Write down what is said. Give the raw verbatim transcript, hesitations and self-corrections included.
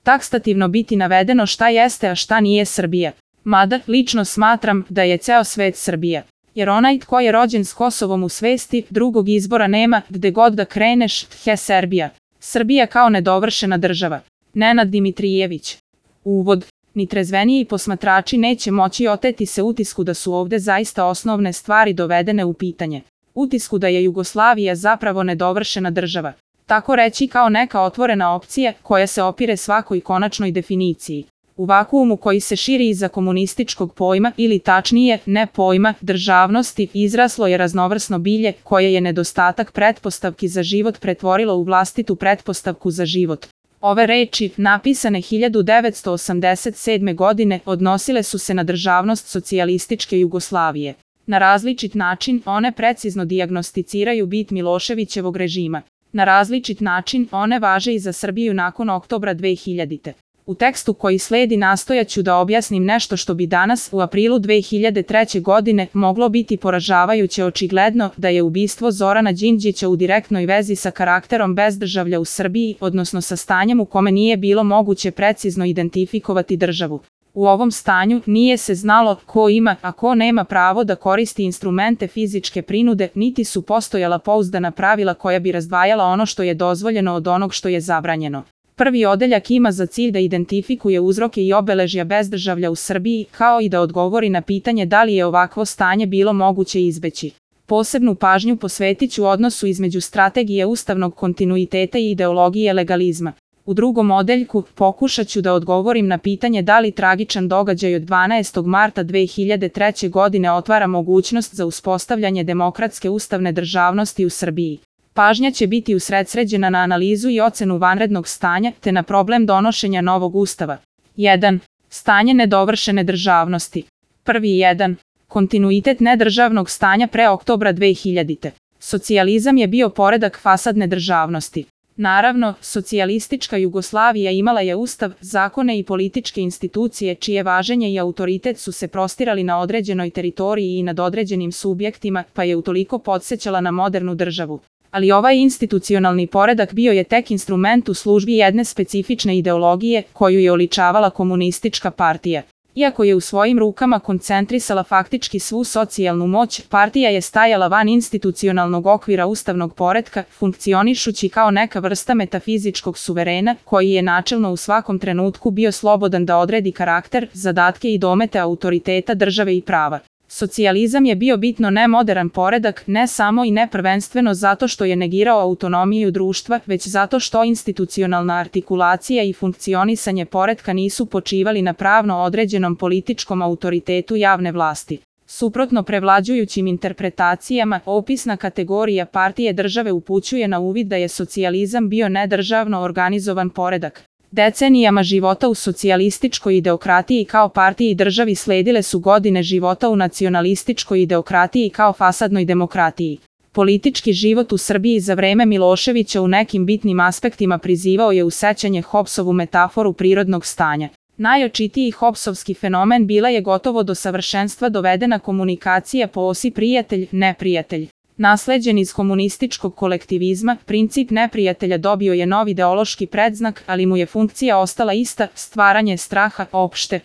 takstativno biti navedeno šta jeste, a šta nije Srbija. Mada, lično smatram da je ceo svet Srbija. Jer onaj tko je rođen s Kosovom u svesti, drugog izbora nema, gde god da kreneš, he Serbija. Srbija kao nedovršena država. Nenad Dimitrijević. Uvod. Ni trezveniji posmatrači neće moći oteti se utisku da su ovde zaista osnovne stvari dovedene u pitanje. Utisku da je Jugoslavija zapravo nedovršena država. Tako reći kao neka otvorena opcija koja se opire svakoj konačnoj definiciji. U vakuumu koji se širi iza komunističkog pojma ili tačnije ne pojma državnosti izraslo je raznovrsno bilje koje je nedostatak pretpostavki za život pretvorilo u vlastitu pretpostavku za život. Ove reči, napisane hiljadu devetsto osamdeset sedme. godine, odnosile su se na državnost socijalističke Jugoslavije. Na različit način one precizno dijagnosticiraju bit Miloševićevog režima. Na različit način one važe i za Srbiju nakon oktobra dve hiljadite. U tekstu koji sledi nastojaću da objasnim nešto što bi danas, u aprilu dve hiljade treće. godine, moglo biti poražavajuće očigledno da je ubistvo Zorana Đinđića u direktnoj vezi sa karakterom bezdržavlja u Srbiji, odnosno sa stanjem u kome nije bilo moguće precizno identifikovati državu. U ovom stanju nije se znalo ko ima, a ko nema pravo da koristi instrumente fizičke prinude, niti su postojala pouzdana pravila koja bi razdvajala ono što je dozvoljeno od onog što je zabranjeno. Prvi odeljak ima za cilj da identifikuje uzroke i obeležja bezdržavlja u Srbiji, kao i da odgovori na pitanje da li je ovakvo stanje bilo moguće izbeći. Posebnu pažnju posvetit ću odnosu između strategije ustavnog kontinuiteta i ideologije legalizma. U drugom odeljku pokušat ću da odgovorim na pitanje da li tragičan događaj od dvanaestog marta dve hiljade treće. godine otvara mogućnost za uspostavljanje demokratske ustavne državnosti u Srbiji. Pažnja će biti usredsređena na analizu i ocenu vanrednog stanja, te na problem donošenja novog ustava. jedan. Stanje nedovršene državnosti. Prvi jedan. Kontinuitet nedržavnog stanja pre oktobra dve hiljadite. Socijalizam je bio poredak fasadne državnosti. Naravno, socijalistička Jugoslavija imala je ustav, zakone i političke institucije čije važenje i autoritet su se prostirali na određenoj teritoriji i nad određenim subjektima, pa je utoliko podsjećala na modernu državu. Ali ovaj institucionalni poredak bio je tek instrument u službi jedne specifične ideologije koju je oličavala komunistička partija. Iako je u svojim rukama koncentrisala faktički svu socijalnu moć, partija je stajala van institucionalnog okvira ustavnog poretka, funkcionišući kao neka vrsta metafizičkog suverena, koji je načelno u svakom trenutku bio slobodan da odredi karakter, zadatke i domete autoriteta države i prava. Socijalizam je bio bitno nemoderan poredak, ne samo i ne prvenstveno zato što je negirao autonomiju društva, već zato što institucionalna artikulacija i funkcionisanje poretka nisu počivali na pravno određenom političkom autoritetu javne vlasti. Suprotno prevlađujućim interpretacijama, opisna kategorija partije države upućuje na uvid da je socijalizam bio nedržavno organizovan poredak. Decenijama života u socijalističkoj ideokratiji kao partiji i državi sledile su godine života u nacionalističkoj ideokratiji kao fasadnoj demokratiji. Politički život u Srbiji za vreme Miloševića u nekim bitnim aspektima prizivao je u sećanje Hobbesovu metaforu prirodnog stanja. Najočitiji Hobbesovski fenomen bila je gotovo do savršenstva dovedena komunikacija po osi prijatelj-neprijatelj. Nasleđen iz komunističkog kolektivizma, princip neprijatelja dobio je novi ideološki predznak, ali mu je funkcija ostala ista, stvaranje straha opšte.